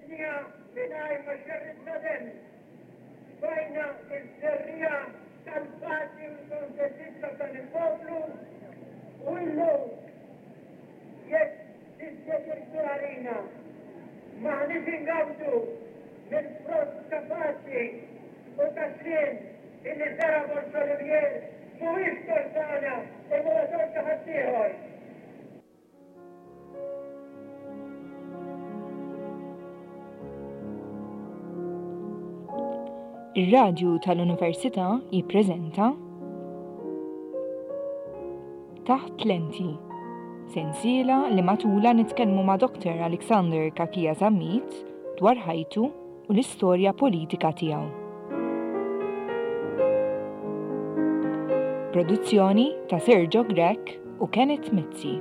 Ħriġniha mingħajr ma xerridna demm. Tfajna ż-żerriegħa tal-paċi u l-kuntentizza f'dan il-poplu u illum jekk dispjaċir għalina m'aħniex ingawdu mill-frott ta' paċi u ta' sliem illi żera' Borg Olivier mhuwiex tort tagħna imma huwa tort ta' ħaddieħor. Ir-Radju tal-Università jippreżenta Taħt Lenti, sensiela li matulha nitkellmu ma' Dr. Alexander Cachia Zammit dwar ħajtu u l-istorja politika tiegħu. Produzzjoni ta' Sergio Grech u Kenneth Mizzi.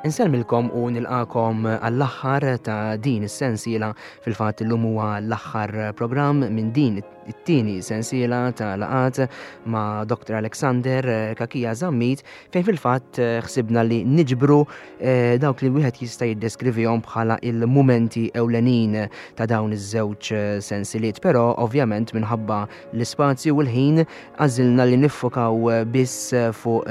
Insellmilkom u nilqakom għall-aħħar ta' din is-sensiela fil-fatt illum huwa l-aħħar programm minn din it-tieni sensiela ta' laqat ma' Dr. Alexander Kakija Zammit fejn fil-fatt eh, ħsibna li niġbru eh, dawk li wieħed jista' jiddeskrivihom bħala il-mumenti ewlenin ta' dawn iż-żewġ eh, sensiliet, però ovvjament minħabba l-ispazju u l-ħin għażilna li niffokaw biss fuq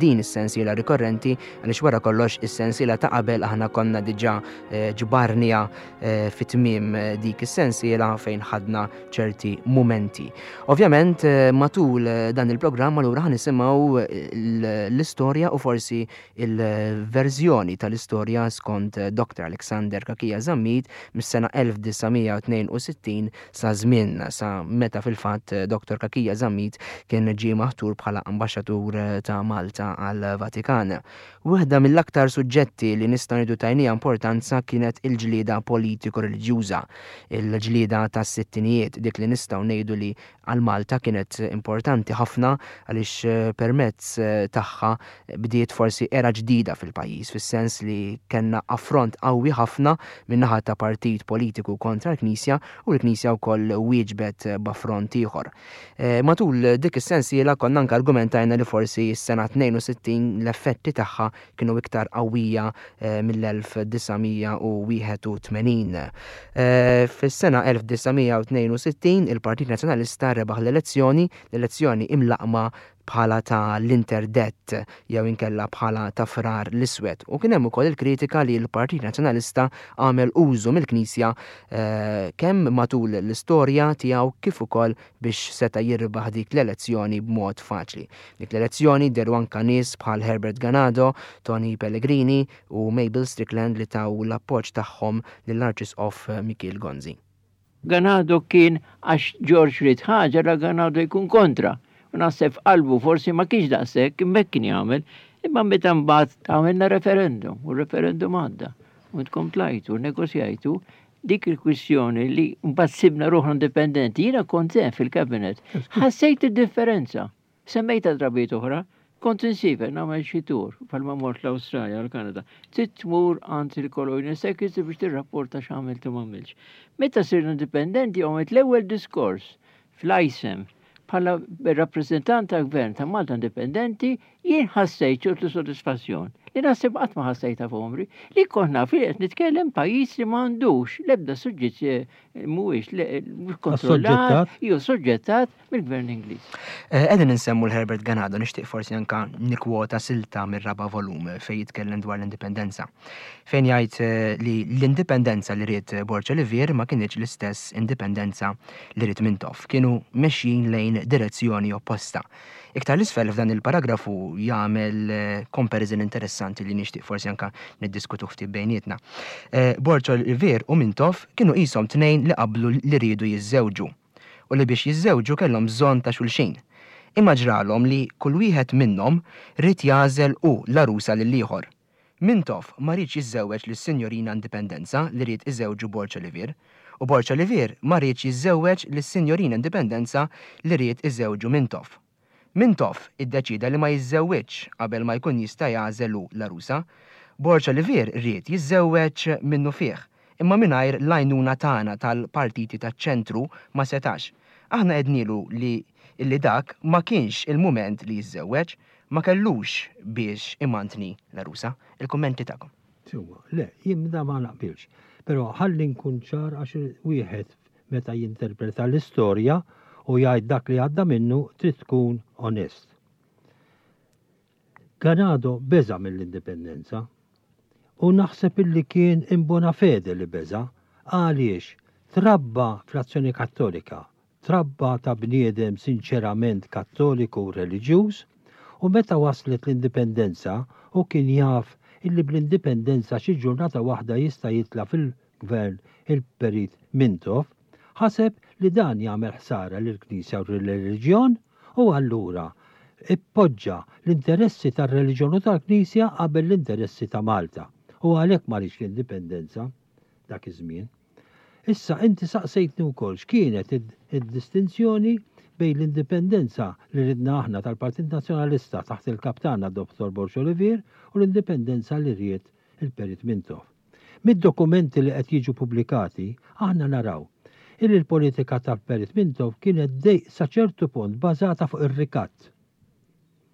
din is-sensiela rikorrenti għaliex wara kollox is-sensiela ta' qabel aħna konna diġà ġbarnija fit-tmiem dik is-sensiela fejn ħadna ċerti mumenti. Ovvjament eh, matul eh, dan il-programm allura ħa nisimgħu eh, l-istorja u forsi il-verżjoni tal-istorja skont Dr. Alexander Kakija Zammit mis-sena 1962 sa żmien sa meta fil-fatt Dr. Kakija Zammit kien ġie maħtur bħala ambaxxatur ta' Malta għal-Vatikan. Waħda mill-aktar suġġetti li nistgħu ngħidu tajniha importanza kienet il-ġlieda politiko-reliġjuża, il-ġlieda tas-sittinijiet, dik li nistgħu ngħidu li għal Malta kienet importanti ħafna għaliex permezz tagħha bdiet forsi era ġdida fil-pajjiż fis-sens li kellna affront qawwi ħafna min-naħa ta' partit politiku kontra l-Knisja u l-Knisja wkoll wieġbet b'affront ieħor. Eh, matul dik is-sensiela konna anke argumentajna li forsi s-sena 62 l-effetti tagħha kienu iktar qawwija eh, mill-1981. Eh, fis-sena 1962 il-Partit Nazzjonalista rebaħ l-elezzjoni, l-elezzjoni imlaqma bħala ta' l-interdett jew inkella bħala ta' Frar l-Iswed. U kien hemm ukoll il-kritika li l-Partit Nazzjonalista għamel użu mill-Knisja kemm matul l-istorja tiegħu kif ukoll biex seta' jirbaħ dik l-elezzjoni b'mod faċli. Dik l-elezzjoni dehru anka nies bħal Herbert Ganado, Tony Pellegrini u Mabel Strickland li taw l-appoġġ tagħhom lill-Arċisqof Mikiel Gonzi. Ganado kien għax George ried ħaġa la Ganado jkun kontra. U naħseb f'qalbu forsi ma kienx daqshekk imma hekk kien jagħmel. Imma meta mbagħad għamilna referendum u r-referendum għadda u intkom tlajtu u nnegozjajtu dik il-kwistjoni li mbagħad sibna ruħna indipendenti. Jiena kont hemm fil-cabinet. Ħassejt id-differenza. Semmejtha drabiet oħra, kont insiefer nagħmel xi tour bħalma mort l-Awstralja u l-Kanada. Trid tmur għand il-Colonial Secretary biex tirrapporta x'għamilt u m'għamiltx. Meta sirna indipendenti għamilt l-ewwel diskors fl-ISEM bħala rappreżentant tal-Gvern ta' Malta Indipendenti jien ħassejt ċertu sodisfazzjon li naħseb qatt ma ħassejtha f'għomri li kont naf li qed nitkellem pajjiż li m'għandux l-ebda suġġett mhuwiex kontrollat jew soġġettat mill-Gvern Ingliż. Eh, qegħdin insemmu l-Herbert Ganado, nixtieq forsi anka nikkwota silta mir-raba' volum fejn jitkellem dwar l-indipendenza. Fejn jgħid eh, li l-indipendenza li ried Borg Olivier ma kinitx l-istess indipendenza li ried Mintoff. Kienu mexjin lejn direzzjoni opposta. Iktar l-isfel f'dan il-paragrafu jagħmel eh, comparison interessanti li nixtieq forsi anka niddiskutu ftit bejnietna. Borg Olivier u Mintoff kienu qishom tnejn li qablu li riedu jiżżewġu. u li biex jiżżewġu kellhom bżonn ta' xulxin. Imma ġralhom li kull wieħed minnhom ried jagħżel hu l-għarusa lill-ieħor. Mintoff ma riedx jiżżewweġ lis-Sinjorina Indipendenza li ried iżewġu Borg Olivier, u Borg Olivier ma riedx jiżżewweġ lis-Sinjorina Indipendenza li ried iżewġu Mintoff. Mintoff iddeċieda li ma jiżżewwiġx qabel ma jkun jista' jagħżel hu l-għarusa. Borg Olivier ried jiżżewweġ minnufih, imma mingħajr l-għajnuna tagħna tal-partiti taċ-ċentru ma setax. Aħna għednielu li illi dak ma kienx il-mument li jiżżewweġ, ma kellux biex imantni l-għarusa. Il-kummenti tagħkom. Sewwa, le, jien da ma naqbilx. Però ħalli nkun ċar għax wieħed meta jinterpreta l-istorja u jgħid dak li għadda minnu trid tkun onest. Ganado beża' mill-indipendenza. U naħseb illi kien in bona fede li beża' għaliex trabba fl-Azzjoni Kattolika, trabba ta' bniedem sinċerament Kattoliku u reliġjuż u meta waslet l-indipendenza hu kien jaf illi bl-indipendenza xi ġurnata waħda jista' jitla' fil-gvern il-Perit Mintoff, ħaseb li dan jagħmel ħsara lill-Knisja u lir-reliġjon u allura ippoġġa l-interessi tar-reliġjon u tal-Knisja qabel l-interessi ta' Malta u għalhekk ma riedx l-indipendenza dak iż-żmien. Issa inti saqsejtni wkoll x'kienet id-distinzjoni bejn l-indipendenza li ridna aħna tal-Partit Nazzjonalista taħt il-Kap tagħna Dottor Borg Olivier u l-indipendenza li ried il-Perit Mintoff. Mid-dokumenti li qed jiġu pubblikati aħna naraw illi l-politika tal-Perit Mintoff kienet sa ċertu punt bażata fuq ir-rikatt.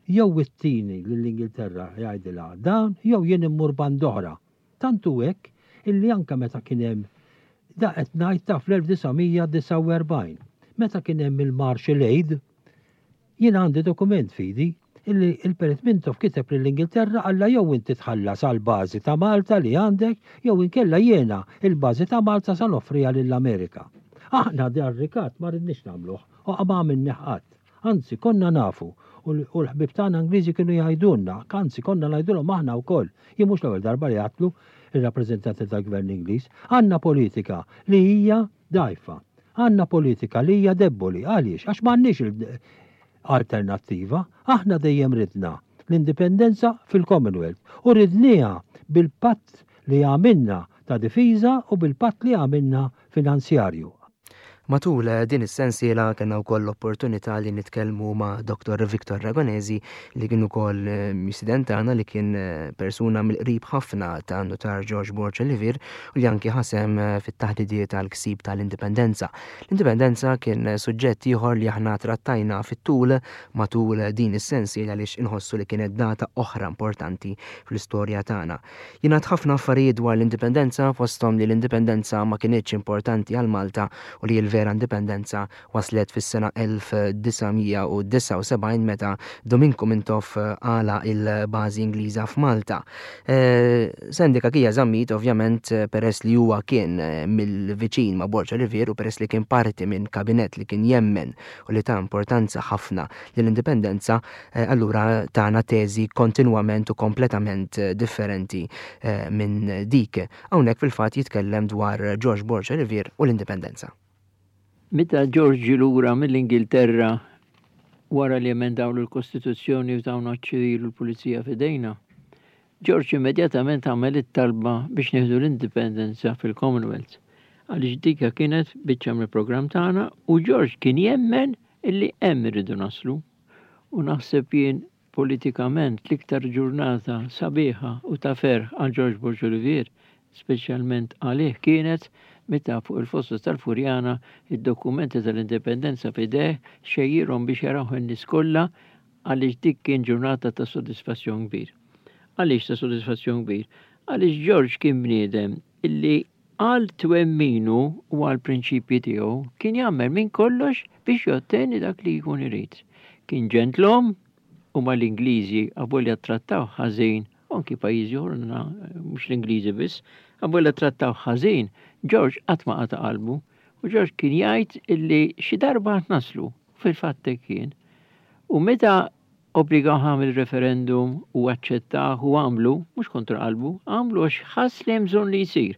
Jew ittini lill-Ingilterra jgħidilha dan jew jien immur band'oħra. Tant hu hekk illi anke meta kien hemm, da qed ngħid ta' fl-1949, meta kien hemm il-Marshall Aid, jien għandi dokument f'idi illi l-Perit Mintoff kiteb lill-Ingilterra qallha jew inti tħallas għall-bażi ta' Malta li għandek jew inkella jiena il-bażi ta' Malta sa noffriha lill-Amerika. Aħna dar-rikatt ma ridniex nagħmluh u ma għamilnih qatt. Anzi, konna nafu, u l-ħbieb tagħna Ingliżi kienu jgħidulna, anzi konna ngħidulhom aħna wkoll, jien mhux l-ewwel darba li għedtlu ir-rappreżentanti tal-Gvern Ingliż, għandna politika li hija dgħajfa, għandna politika li hija debboli, għaliex? Għax m'għandniex alternattiva, aħna dejjem ridna l-indipendenza fil-Commonwealth u ridnieha bil-patt li għamilna ta' difiża u bil-patt li għamilna finanzjarju. Matul din is-sensiela kellna wkoll l-opportunità li nitkellmu ma' Dottor Victor Ragonesi li kien ukoll mistieden tagħna li kien persuna mill-qrib ħafna ta' Nutar George Borg Olivier u li anki ħasem fit-taħdidiet għall-ksib tal-indipendenza. L-indipendenza kien suġġett ieħor li aħna trattajna fit-tul matul din is-sensiela għaliex inħossu li kienet data oħra importanti fl-istorja tagħna. Jingħad ħafna affarijiet dwar l-Indipendenza, fosthom li l-Indipendenza ma kinitx importanti għal Malta u li l-vera Indipendenza waslet fis-sena 1979 meta Dominku Mintoff għalaq il-bażi Ingliża f'Malta. Sandy Cachia Zammit ovvjament peress li huwa kien mill-viċin ma' Borg Olivier u peress li kien parti minn kabinett li kien jemmen u li ta importanza ħafna lill-Indipendenza, allura tana teżi kontinwament u kompletament differenti minn dik. Hawnhekk fil-fatt jitkellem dwar George Borg Olivier u l-Indipendenza. Meta George ġie lura mill-Ingilterra wara li emendawlu l-Kostituzzjoni u tawna ċ-ċivil u l-pulizija f'idejna, George immedjatament għamel it-talba biex nieħdu l-Indipendenza fil-Commonwealth, għaliex dika kienet biċċa mill-programm tagħna u George kien jemmen illi hemm irridu naslu. U naħseb jien politikament l-iktar ġurnata sabiħa u ta' ferħ għal George Borg Olivier, speċjalment għalih kienet meta fuq il-fossa tal-Furjana id-dokumenti tal-Indipendenza f'idejh xejjirhom biex jarawh in-nies kollha għaliex dik kien ġurnata ta' sodisfazzjon kbir. Għaliex ta' sodisfazzjon kbir? Għaliex George kien bniedem illi għal twemminu u għall-prinċipji tiegħu kien jagħmel minn kollox biex jotteni dak li jkun irid. Kien ġentlom u mal-Ingliżi avolja ttrattawh ħażin, u anki pajjiżi oħra mhux l-Ingliżi biss, avolja ttrattawh ħażin, George qatt ma qata' qalbu u George kien jgħid illi xi darba għad naslu, u fil-fatt hekk kien. U meta Obbligawh għamel referendum u aċċettah u għamlu, mhux kontra qalbu, għamlu għax ħass li hemm bżonn li jsir.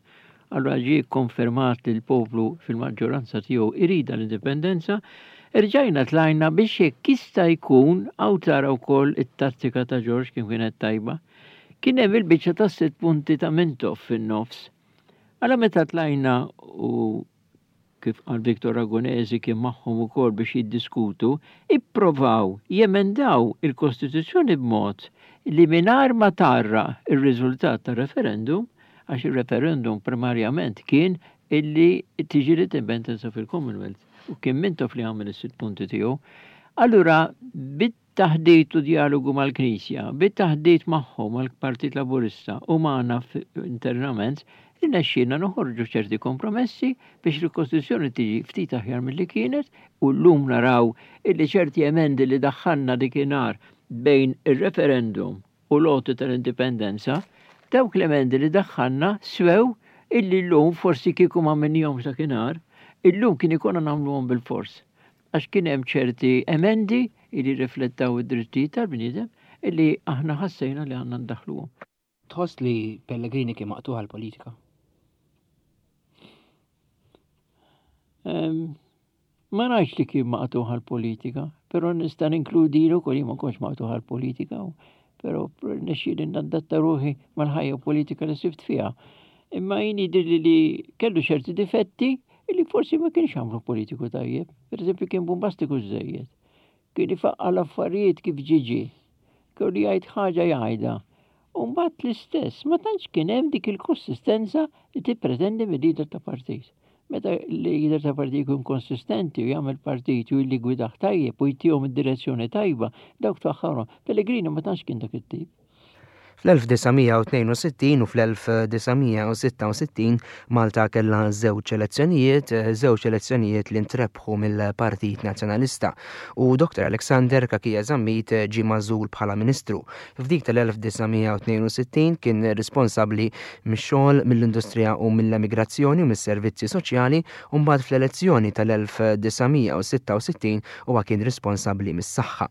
Allura ġie kkonfermat li l-poplu fil-maġġoranza tiegħu iridha l-indipendenza, erġajna tlajna biex jekk jista' jkun, hawn tara wkoll it-tattika ta' George kif kienet tajba, kien hemm il-biċċa tas-sitt punti ta' Mintoff fin-nofs. Allura meta tlajna u kif qal Victor Ragonesi kien magħhom ukoll biex jiddiskutu, ipprovaw jemendaw il-Kostituzzjoni b'mod li mingħajr ma tgħarraq ir-riżultat tar-referendum, għax ir-referendum primarjament kien illi tiġi l-indipendenza fil-Commonwealth u kien Mintoff li għamel is-sitt punti tiegħu. Allura bit-taħdit u djalogu mal-Knisja, bit-taħdit magħhom mal-Partit Laburista u magħna internament, irnexxielna noħorġu ċerti kompromessi biex il-Kostituzzjoni tiġi ftit aħjar milli kienet u llum naraw illi ċerti emendi li daħħalna dikinhar bejn ir-referendum u l-għoti tal-indipendenza, dawk l-emendi li daħħalna swew illi llum forsi kieku ma għamilnihomx dakinhar, illum kien ikollna nagħmluhom bilfors. Għax kien hemm ċerti emendi illi rriflettaw id-drittijiet tal-bniedem illi aħna ħassejna li għandna ndaħħluhom. Tħoss li Pellegrini kien maqtugħ għall-politika? Ma ngħidx li kien maqtugħ għall-politika, però nista' ninkludi wkoll jien ma kontx maqtugħ għall-politika, però rnexxieli nadatta ruħi mal-ħajja politika li sibt fiha. Imma jien jidhirli li kellu ċerti difetti li forsi ma kienx għamlu politiku tajjeb. Per eżempju kien bombastiku żejjed. Kien ifaqqa' l-affarijiet kif ġie ġie. Kellu jgħid ħaġa jgħidha. U mbagħad l-istess, ma tantx kien hemm dik il-konsistenza li tippretendi mil-leader ta' partit. Meta l-leader ta' partit jkun konsistenti u jagħmel partit u jilligwidah tajjeb u jtihom id-direzzjoni tajba, dawk tfaħħarhom. Pellegrini ma tantx kien dak it-tip. Fl-1962 u fl-1966 Malta kellha żewġ elezzjonijiet, żewġ elezzjonijiet li ntrebħu mill-Partit Nazzjonalista u Dr. Alexander Cachia Zammit ġie magħżul bħala Ministru. F'dik tal-1962 kien responsabbli mix-xogħol, mill-industrija u mill-emigrazzjoni u mis-servizzi soċjali u mbagħad fl-elezzjoni tal-1966 huwa kien responsabbli mis-saħħa.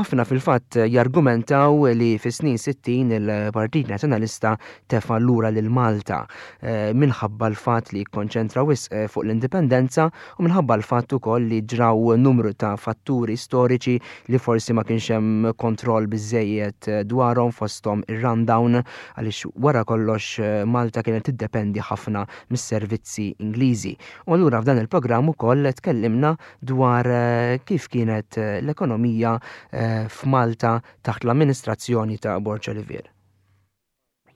Ħafna fil-fatt jargumentaw li fis-snin 60 il-Partit Nazzjonalista tefa' lura lil Malta eh, minħabba l-fatt li kkonċentra wisq eh, fuq l-indipendenza u minħabba l-fatt ukoll li ġraw numru ta' fatturi storiċi li forsi ma kienx hemm kontroll biżejjed eh, dwarhom fosthom ir-rundown għaliex wara kollox Malta kienet tiddependi ħafna mis-servizzi Ingliżi. U allura f'dan il-programm ukoll tkellimna dwar kif kienet l-ekonomija f'Malta taħt l-amministrazzjoni ta' Borg Olivier.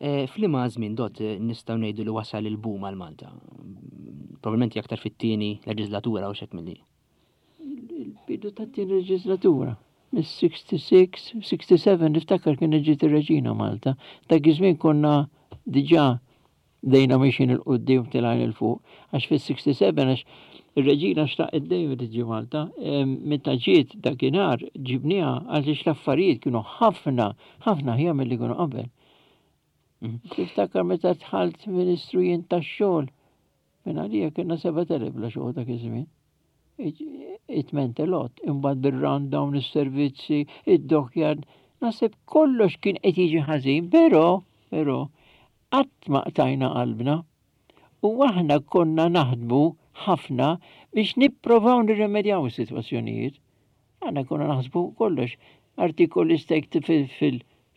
F'liema żmien dott nistgħu ngħidu li wasal il-boom għal Malta? Probabilment aktar fit-tieni leġislatura u xek milli. Il-bidu tat-tieni leġislatura. Mis-66, 67 niftakar kien ġiet ir-Reġina Malta. Dak iż-żmien konna diġà Bdejna mixjin 'il quddiem tilgħin 'il fuq, għax fis-67 għax ir-Reġina xtaqet dejjem li tiġi Malta, meta ġiet dakinhar ġibniha għaliex l-affarijiet kienu ħafna, ħafna aħjar milli kienu qabel. Tiftakar meta dħalt Ministru jien tax-xogħol, minn għalija kienna 7,000 bla xogħol dak iż-żmien. It meant a lot. Imbagħad bir-rundown, is-servizzi, id-dockyard, naħseb kollox kien qed jiġi ħażin, però, però, Qatt ma qtajna qalbna u aħna konna naħdmu ħafna biex nipprovaw nirremedjaw is-sitwazzjonijiet. Aħna konna naħsbu kollox. Artikoli stajt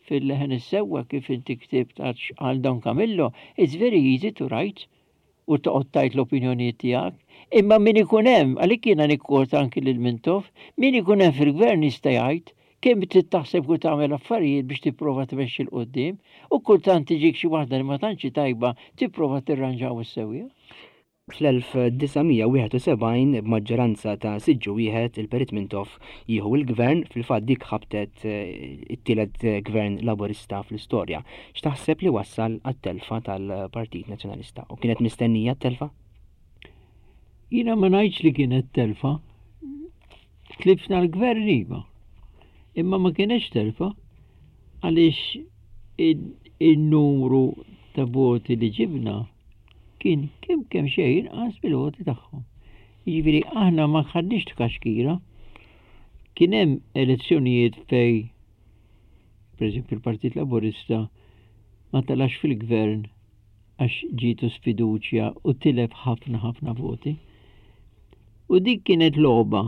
fil-leħen is-sewwa kif inti ktibt għal Don Camillo, it's very easy to write u toqgħod tgħid l-opinjonijiet tiegħek. Imma min ikun hemm, għalhekk jiena nikkwota anki lil Mintoff, min ikun hemm fil-gvern jista' jgħid kemm trid taħseb u tagħmel affarijiet biex tipprova tmexxi 'l quddiem u kultant tiġik xi waħda li ma tantx hi tajba tipprova tirranġa u ssewwiha. Fl-1971 b'maġġoranza ta' siġġu wieħed il-Perit Mintoff jieħu l-Gvern, fil-fatt dik ħabtet it-tielet Gvern Laburista fl-istorja. X'taħseb li wassal għat-telfa tal-Partit Nazzjonalista? U kienet mistennija t-telfa? Jiena ma ngħidx li kienet telfa. Tlifna l-gvern iva. Imma ma kienx telfa għaliex in-numru ta' voti li ġibna kien kemm kemm xejn inqas mill-voti tagħhom. Jiġifieri aħna ma ħadniex tkaxkira. Kien hemm elezzjonijiet fej pereżempju l-Partit Laburista ma telax fil-gvern għax ġietu sfiduċja u tilef ħafna ħafna voti. U dik kienet logħba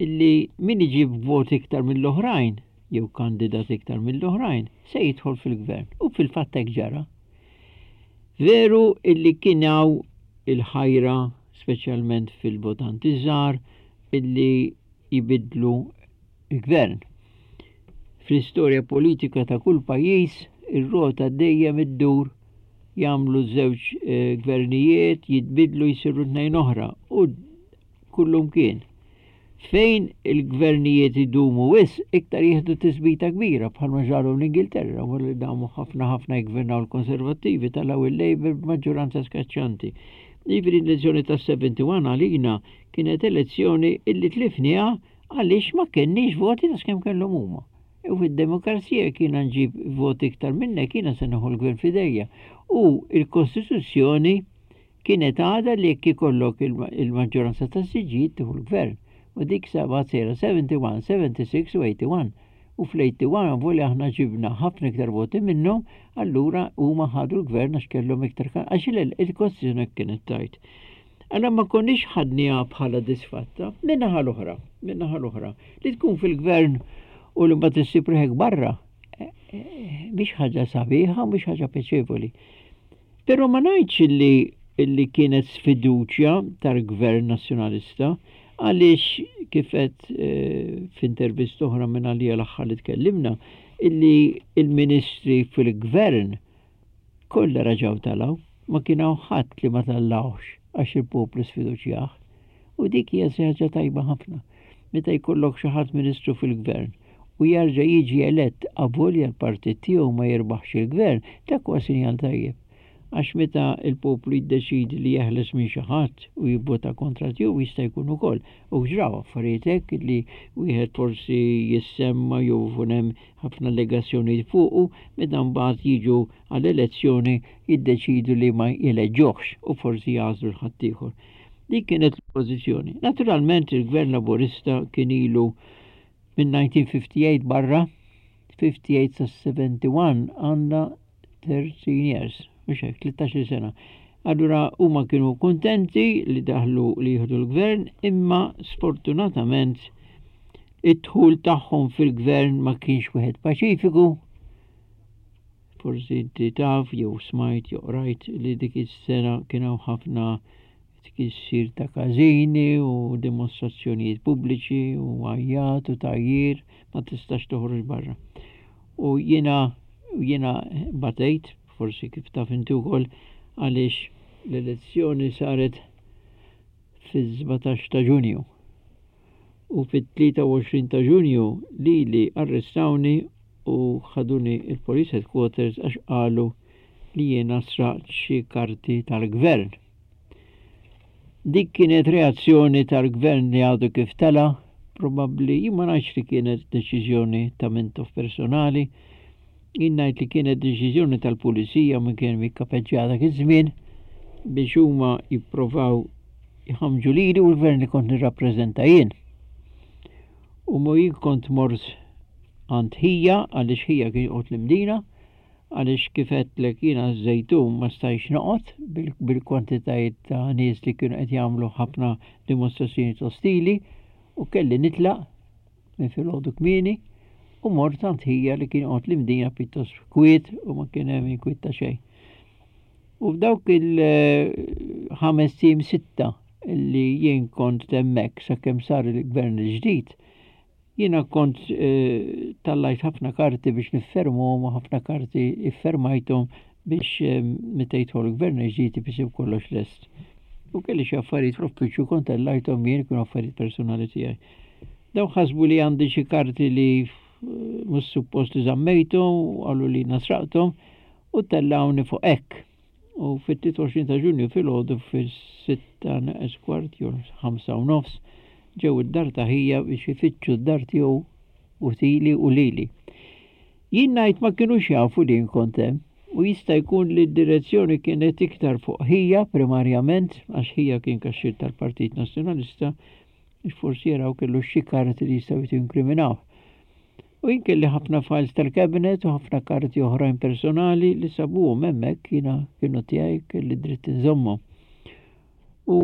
illi min iġib voti iktar mill-oħrajn jew kandidat iktar mill-oħrajn se jidħol fil-gvern. U fil-fatt hekk ġara. Veru illi kien hawn il-ħajra, speċjalment fil-votanti żgħar, illi jbiddlu l-gvern. Fl-istorja politika ta' kull pajjiż, ir-rota dejjem iddur, jagħmlu żewġ gvernijiet, jitbiddlu jsiru tnejn oħra u kullumkien. Fejn il-gvernijiet idumu wisq, iktar jieħdu tisbita kbira bħalma ġralu l-Ingilterra wara li damu ħafna ħafna jiggvernaw l-Konservattivi talgħu il-Labour b'maġġoranza skaċċanti. Jiġifieri l-elezzjoni tas-71 għalina kienet elezzjoni illi tlifniha għaliex ma kenniex voti daqs kemm kellhom huma. U fid-demokrazija jekk jiena nġib voti iktar minnek jiena se nieħu l-gvern f'idejja. U l-Kostituzzjoni Kienet għadha li jekk ikollok il-maġġoranza tas-siġġijiet tieħu l-gvern. U dik sabgħat sejra 71, 76 u 81. U fl-81 avolja aħna ġibna ħafna iktar voti minnhom, allura huma ħadu l-gvern għax kellhom iktar għax il-Kostituzzjoni hekk kienet tgħid. Allura ma konniex ħadniha bħala disfatta. Min-naħa l-oħra, min-naħa l-oħra, li tkun fil-gvern u li mbagħad issib ruħek barra, eh, eh, mhix ħaġa sabiħa, mhix ħaġa pjaċevoli. Però ma ngħidx illi illi kienet sfiduċja tal-Gvern Nazzjonalista għaliex kif għedt f'intervista oħra minn għalija l-aħħar li tkellimna illi il-ministri fil-Gvern kollha raġgħu talgħu, ma kien hawn ħadd li ma tellgħuhx għax il-poplu sfiduċjah. U dik hija xi ħaġa tajba ħafna. Meta jkollok xi ħadd ministru fil-gvern u jarġa' jiġi elett avolja l-partit tiegħu ma jirbaħx il-gvern, dak huwa sinjal tajjeb. Għax meta l-poplu jiddeċiedi li jeħles minn xi ħadd u jivvota kontra tiegħu jista' jkun ukoll. U ġraw affarijiet hekk li wieħed forsi jissemma jew ikun hemm ħafna allegazzjonijiet fuqu, meta mbagħad jiġu għall-elezzjoni jiddeċidu li ma jeleġġuhx u forsi jagħżlu 'l ħaddieħor. Dik kienet l-pożizzjoni. Naturalment il-Gvern Laburista kien ilu minn 1958 barra, 58 sa 71 għandna 13 years, mhux hekk, 13 sena. Allura huma kienu kuntenti li daħlu li jieħdu l-gvern, imma sfortunatament id-dħul tagħhom fil-gvern ma kienx wieħed paċifiku. Forsi inti taf jew smajt jew qrajt li dik is-sena kien hawn ħafna tkissir ta' każini u dimostrazzjonijiet pubbliċi u għajjat u tgħajjir ma tistax toħroġ barra. U jiena jiena batejt, forsi kif taf inti wkoll, għaliex l-elezzjoni saret fis-17 ta' Ġunju. U fit-23 ta' Ġunju lili arrestawni u ħaduni il-Police Headquarters għax qalu li jiena sraqt xi karti tal-gvern. Dik kienet reazzjoni tal-gvern li għadu kif tela', probabbli jien ma ngħidx li kienet deċiżjoni ta' Mintoff personali, jien ngħid li kienet deċiżjoni tal-pulizija min kien jikkapeġġja dak iż-żmien biex huma jipprovaw jħammġu lili u l-gvern li kont nirrappreżenta jien. U mo jien kont mort għand ħija għaliex ħija kien joqgħod l-Imdina Għaliex kif għedtlek jiena ż-Żejtun ma stajtx noqgħod bil-kwantitajiet ta' nies li kienu qed jagħmlu ħafna dimostrazzjonijiet ostili u kelli nitlaq minn filgħodu kmieni u mort għand ħija li kien joqgħod l-Imdina pjuttost kwiet u ma kien hemm inkwiet ta' xejn. U f'dawk il-ħamest ijiem sitta li jien kont hemmhekk sakemm sar il-gvern il-ġdid, Jiena kont tallajt ħafna karti biex niffermhom u ħafna karti iffermajthom biex meta jidħol il-gvern il-ġdid isib kollox lest. U kelli xi affarijiet fl-uffiċċju kont tellajthom jien kienu affarijiet personali tiegħi. Dawn ħasbu li għandi xi karti li mhux suppost li żammejthom u qalu li jiena sraqthom u tellgħuni fuq hekk. U fit-23 ta' Ġunju filgħodu fis-sitta neqes kwart jew 5:30 ġew id-dar ta' ħija biex ifittxu d-dar tiegħu u tili u lili. Jien ngħid ma kinux jafu li jien kont hemm u jista' jkun li d-direzzjoni kienet iktar fuq ħija primarjament għax ħija kien kaxxier tal-Partit Nazzjonalista biex forsi jaraw kellu xi karti li jistgħu jinkriminawh. U jien kelli ħafna files tal-cabinet u ħafna karti oħrajn personali li sabuhom hemmhekk jiena kienu tiegħi kelli dritt inżommhom. U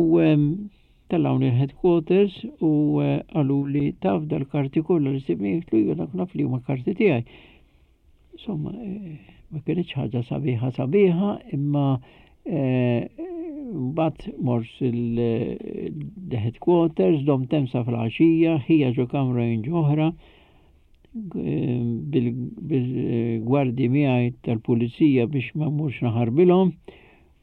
tellgħuni l-headquarters u eh, qalu li taf dal-karti kollha li sibni jgħidlu iva dak naf li huma karti tiegħi. Insomma, eh, ma kienx ħaġa sabiħa sabiħa, imma eh, mbagħad mort il-headquarters, dom temsa fl-għaxija, ħija ġo kamra jien oħra, bil-gwardji miegħi tal-pulizija biex ma mmurx naħarbilhom.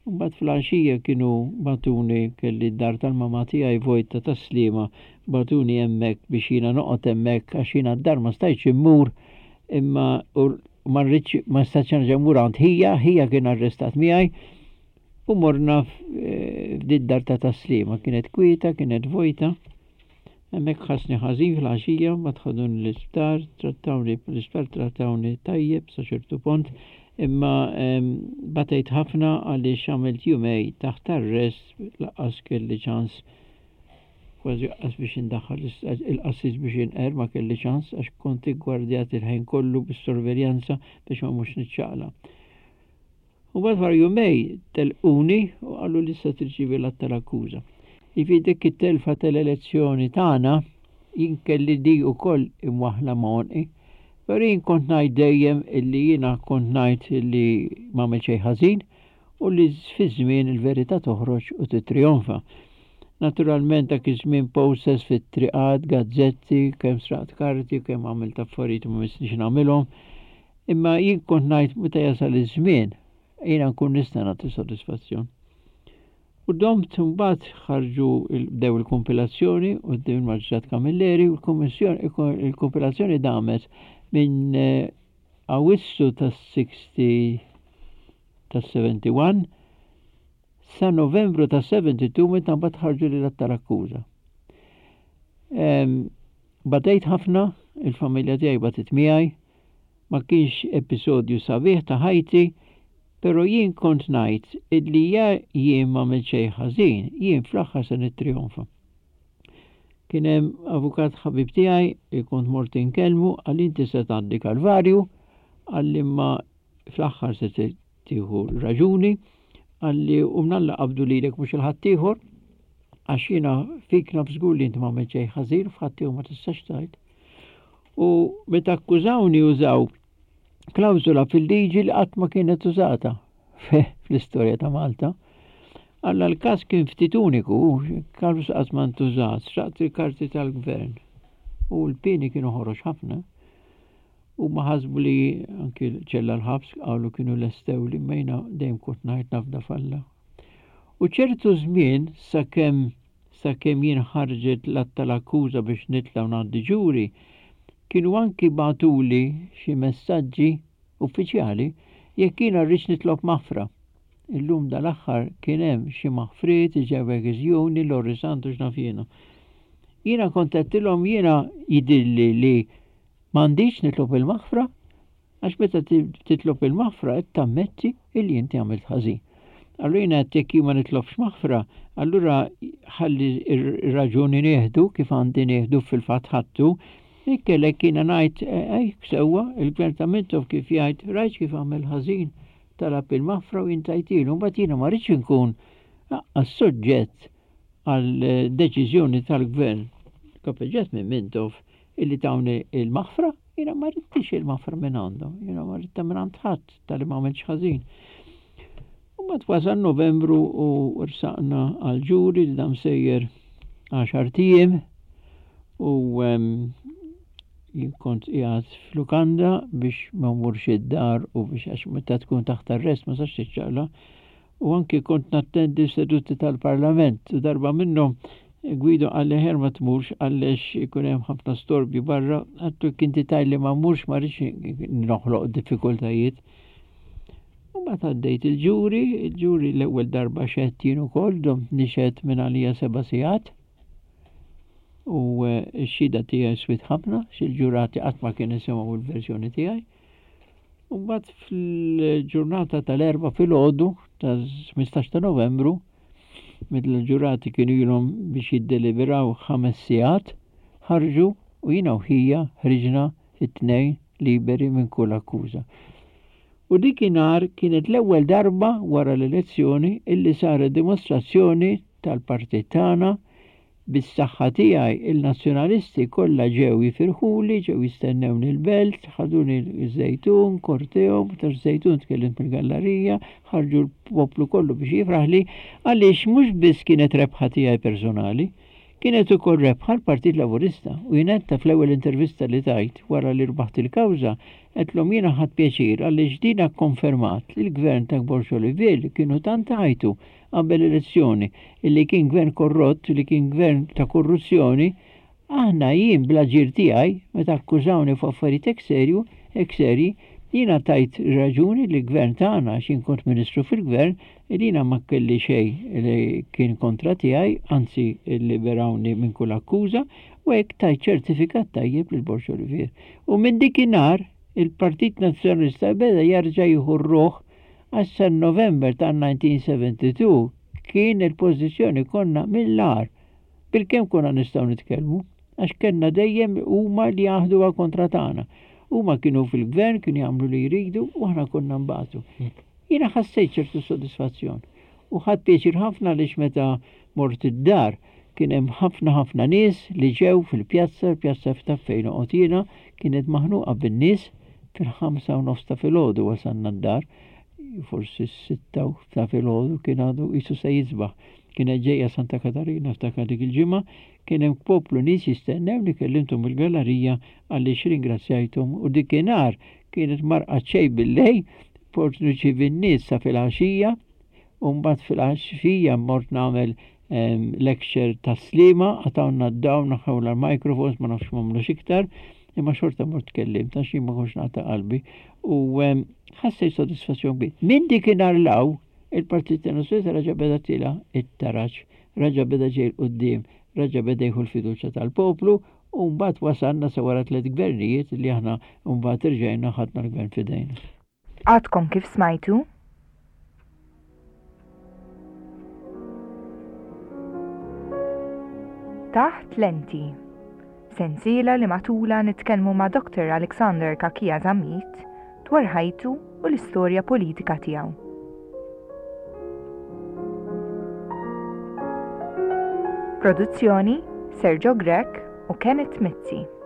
U mbagħad fl-għaxija kienu bagħtuni, kelli d-dar tal-mamà tiegħi vojta Tas-Sliema, bagħtuni hemmhekk biex jiena noqgħod hemmhekk għax jiena d-dar ma stajtx immur imma u ma rridx ma stajtx nerġa' mmur għand ħija, ħija kien arrestat miegħi u morna f'did dar ta' Tas-Sliema, kienet kwieta, kienet vojta. Hemmhekk ħassni ħażin fil-għaxija, mbagħad ħaduni l-isptar, trattawni l-isptar trattawni tajjeb sa ċertu pont, imma batejt ħafna għaliex għamilt jumej taħt arrest lanqas kelli ċans kważi qas biex indaħħal il-qassis biex inqer ma kelli ċans għax kont iggwardjat il-ħin kollu bis-sorveljanza biex ma mhux niċċaqlaq. U mbagħad wara jumej telquni u qalu li issa tirċievi l-att tal-akkuża. Jiġifieri dik it-telfa tal-elezzjoni tagħna jien kelli di wkoll imwaħħla ma' għonqi. Però jien kont ngħid dejjem illi jiena kont ngħid illi m'għamilt xejn ħażin u li fiż-żmien il-verità toħroġ u tittrijonfa. Naturalment dak iż-żmien posters fit-triqat, gazzetti, kemm sraqt karti, kemm għamilt affarijiet ma missnix nagħmilhom. Imma jien kont ngħid meta jasal iż-żmien, jiena nkun nista' nagħti sodisfazzjon. U domt mbagħad ħarġu bdew il-kumpilazzjoni quddiem il-Maġistrat Camilleri u l-kummissjoni il-kumpilazzjoni damet minn eh, Awwissu tas-60 tas-71 sa Novembru tas-72 meta mbagħad ħarġu lil tal-akkuża. Batejt ħafna, il-familja tiegħi batit miegħi, ma kienx episodju sabiħ ta' ħajti, pero jien kont ngħid illi ja jien m'għamilt xejn ħażin, jien fl-aħħar se nittrijonfa. Kien hemm avukat ħabib tiegħi li kont mort inkellmu qalli inti se tgħaddi kalvarju, qalli imma fl-aħħar se tieħu raġuni, qalli u mnalla qabdu lilek mhux il-ħaddieħor, għax jiena fik naf żgur li inti m'għamilt xejn ħażin, f'ħaddieħor ma tistax tgħid. U meta akkużawni użaw klawżola fil-liġi li qatt ma kienet użata fl-istorja ta' Malta. Alla l-każ kien ftit uniku, każ qatt ma ntużat, sraqt il-karti tal-gvern. U l-pieni kienu ħorox ħafna. U ma ħasbu li anki ċella l-ħabs qalu kienu lestew li mejna dejjem kont ngħid nafda falla. U ċertu żmien sakemm sakemm jien ħarġet l-att tal-akkuża biex nitla' u ngħaddi ġuri, kienu anki bagħtuli xi messaġġi uffiċjali jekk jiena rridx nitlob maħfra. Illum dal-aħħar kien hemm xi maħfriet, ġew iżjuni, Lorry Sant u x'naf jiena. Jiena kont għedtilhom jiena jidhirli li m'għandix nitlob il-maħfra Għax meta titlob il-maħfra qed tammetti illi inti għamilt ħażin. Allura jiena għedt jekk jien ma nitlobx maħfra, allura ħalli r-raġuni nieħdu kif għandi nieħdu fil-fatt ħadtu, ikkellek jiena ngħid ej sewwa il-gvern ta' Mintoff kif jgħid rajt kif għamel ħażin talab il-maħfra u jien tajtilu, mbagħad jiena ma rridx inkun aqqas soġġett għal deċiżjoni tal-gvern kapeġġat minn Mintoff illi tawni il-maħfra Jiena ma ridtix il-maħfra minn għandhom, jiena ma ridtha minn għand ħadd talli ma għamiltx ħażin. U mbagħad wasal Novembru u rsaqna għal ġuri li dam sejjer għaxart ijiem u jien kont qiegħed f'lukanda biex ma mmurx id-dar u biex għax meta tkun taħt arrest ma sax tiċċaqla U anki kont nattendi seduti tal-Parlament u darba minnhom Guido qalli aħjar ma tmurx għaliex ikun hemm ħafna storbju barra, għadtu jekk inti tgħidli ma mmurx ma rridx noħloq diffikultajiet. U mbagħad għaddejt il-ġuri, il-ġuri l-ewwel darba xedt jien ukoll, domt nixhed minn għalija seba' sigħat. U eh, x-xhieda tiegħi swiet ħafna, xil-ġurati qatt ma kienu semgħu l-verżjoni tiegħi. U mbagħad fil-ġurnata tal-Erbgħa filgħodu tas-15 ta' Novembru, meta l-ġurati kienu ilhom biex jiddeliberaw ħames sigħat, ħarġu u jiena u ħija ħriġna it-tnejn liberi minn kull akkuża. U dikinhar kienet l-ewwel darba wara l-elezzjoni illi saret dimostrazzjoni tal-partit tagħna Bis-saħħa tiegħi, il-Nazzjonalisti kollha ġew jifirħuli, ġew jistennewni l-Belt, ħaduni ż-Żejtun, korteo, meta ż-Żejtun tkellimt mill-gallarija, ħarġu l-poplu kollu biex jifraħli, għaliex mhux biss kienet rebħa tiegħi personali, Kienet ukoll rebħa l-Partit Laburista u jien għedtha fl-ewwel intervista li tajt wara li rbaħt il-kawża, għedtlhom jiena ħadt pjaċir għaliex dina kkonfermat li l-Gvern ta' Borg Olivier li kienu tant għajtu qabel l-elezzjoni illi kien gvern korrott, li kien gvern ta' korruzzjoni, Aħna, jien bl-aġir tiegħi, meta akkużawni fuq affarijiet hekk serju, hekk serji, jiena tajt raġuni lill-Gvern tagħna, għax jien kont Ministru fil-Gvern, li jiena ma kelli xejn li kien kontra tiegħi, anzi lliberawni minn kull akkuża, u hekk tajt ċertifikat tajjeb lil Borg Olivier. U minn dikinhar il-Partit Nazzjonalista beda jarġa' jieħu r-ruħ għax sa November tan-1972 kien il-pożizzjoni konna mill-agħar. Bilkemm konna nistgħu nitkellmu, għax kellna dejjem huma li jaħduha kontra tagħna. Huma kienu fil-gvern, kienu jagħmlu li jridu u aħna konna nbatu. Jiena ħassejt ċertu sodisfazzjon u ħadt pjaċir ħafna għaliex meta mort id-dar kien hemm ħafna ħafna nies li ġew fil-pjazza, il-pjazza ta' fejn noqgħod jiena kienet maħnuqa bin-nies fil-5 u nofs ta' filgħodu wasalna d-dar, forsi s-6 ta' filgħodu kien għadu qisu se jisbaħ. Kienet ġejja Santa Katarina ftakar dik il-ġimgħa, kien hemm poplu nies jistennewni kellimthom mill-gallerija għaliex ringrazzjajthom u dikinhar kienet marqa xejn bil-lejl, port nirċievi n-nies sa filgħaxija u mbagħad filgħaxija mort nagħmel ehm, lecture ta' Sliema, qatgħulna d-dawl, naħħewla l-microphones, ma nafx m'għamlux iktar, imma xorta mort tkellimt għax jien ma kontx naqta' qalbi u ehm, ħassejt sodisfazzjon kbir. Minn dikinhar 'l hawn Il-Partit Nazzjonalista reġa' beda tiela' it-taraġ, reġa' beda ġej 'l quddiem, reġa' beda jieħu l-fiduċja tal-poplu u mbagħad wasalna sa wara tlett gvernijiet li aħna mbagħad irġajna ħadna l-gvern f'idejna. Għadkom kif smajtu? Taħt Lenti. Sensiela li matulha nitkellmu ma' Dr. Alexander Cachia Zammit dwar ħajtu u l-istorja politika tiegħu. Produzzjoni Sergio Grech u Kenneth Mizzi.